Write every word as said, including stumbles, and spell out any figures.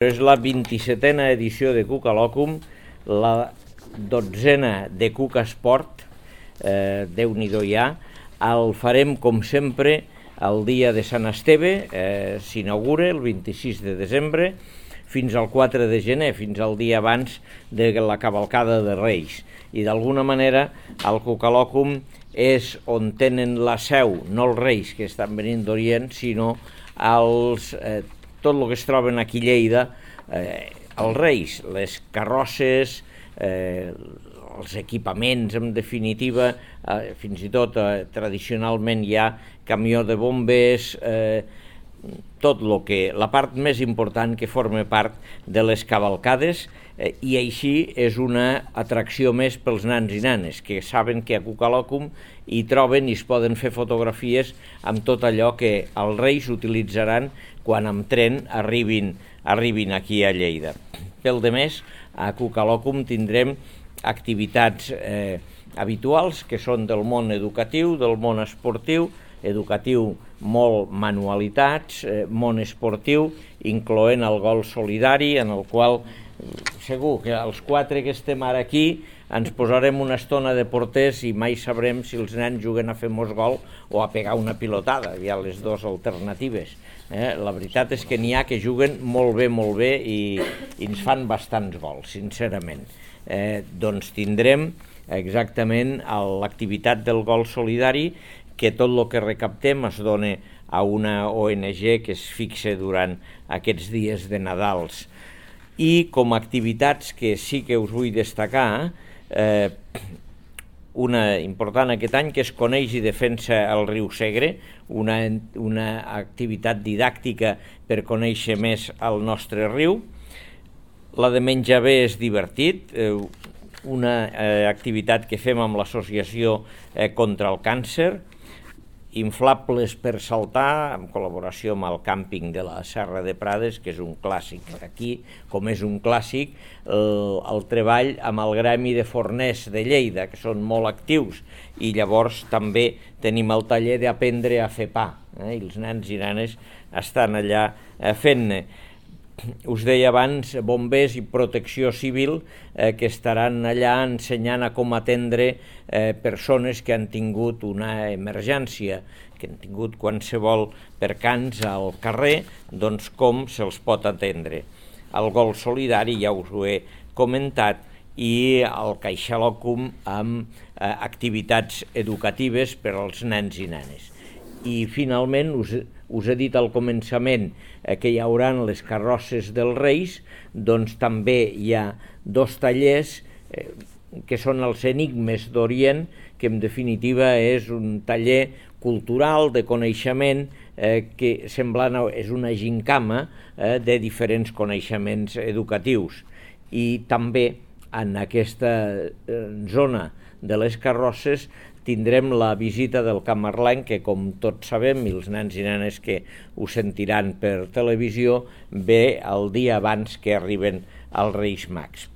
És la vint-i-setena edició de Cucalòcum, la dotzena de Cuca Esport, eh, Déu-n'hi-do ja. El farem, com sempre, el dia de Sant Esteve, eh, s'inaugura el vint-i-sis de desembre, fins al quatre de gener, fins al dia abans de la cavalcada de Reis. I d'alguna manera el Cucalòcum és on tenen la seu, no els Reis que estan venint d'Orient, sinó els... Eh, tot el que es troben aquí a Lleida, eh, els Reis, les carrosses, eh, els equipaments, en definitiva, eh, fins i tot eh, tradicionalment hi ha camió de bombers, eh, tot el que, la part més important que forma part de les cavalcades, eh, i així és una atracció més pels nans i nanes, que saben que a Cucalòcum hi troben i es poden fer fotografies amb tot allò que els Reis utilitzaran quan amb tren arribin, arribin aquí a Lleida. Pel de més, a Cucalòcum tindrem activitats eh, habituals que són del món educatiu, del món esportiu, educatiu molt manualitats, eh, món esportiu, incloent el gol solidari, en el qual segur que els quatre que estem ara aquí ens posarem una estona de porters i mai sabrem si els nens juguen a fer mos gol o a pegar una pilotada, hi ha les dues alternatives. Eh? La veritat és que n'hi ha que juguen molt bé, molt bé i, i ens fan bastants gols, sincerament. Eh, doncs tindrem exactament l'activitat del gol solidari, que tot el que recaptem es dona a una O N G que es fixa durant aquests dies de Nadals. I com a activitats que sí que us vull destacar, eh, una important aquest any que es coneix i defensa el riu Segre, una, una activitat didàctica per conèixer més el nostre riu. La de menjar bé és divertit, eh, una eh, activitat que fem amb l'associació eh, contra el càncer, inflables per saltar, en col·laboració amb el càmping de la Serra de Prades, que és un clàssic. Aquí, com és un clàssic, el, el treball amb el gremi de forners de Lleida, que són molt actius, i llavors també tenim el taller d'aprendre a fer pa, eh? I els nens i nenes estan allà eh, fent-ne. Us deia abans, bombers i protecció civil eh, que estaran allà ensenyant a com atendre eh, persones que han tingut una emergència, que han tingut qualsevol percans al carrer, doncs com se'ls pot atendre. El gol solidari ja us ho he comentat, i el Caixalòcum amb eh, activitats educatives per als nens i nenes. I finalment us, us he dit al començament eh, que hi haurà les carrosses dels Reis, doncs també hi ha dos tallers eh, que són els Enigmes d'Orient, que en definitiva és un taller cultural de coneixement eh, que semblant a, és una gincama eh, de diferents coneixements educatius. I també en aquesta eh, zona de les carrosses tindrem la visita del camarlenc, que com tots sabem, i els nens i nenes que ho sentiran per televisió, ve el dia abans que arriben els Reis Mags.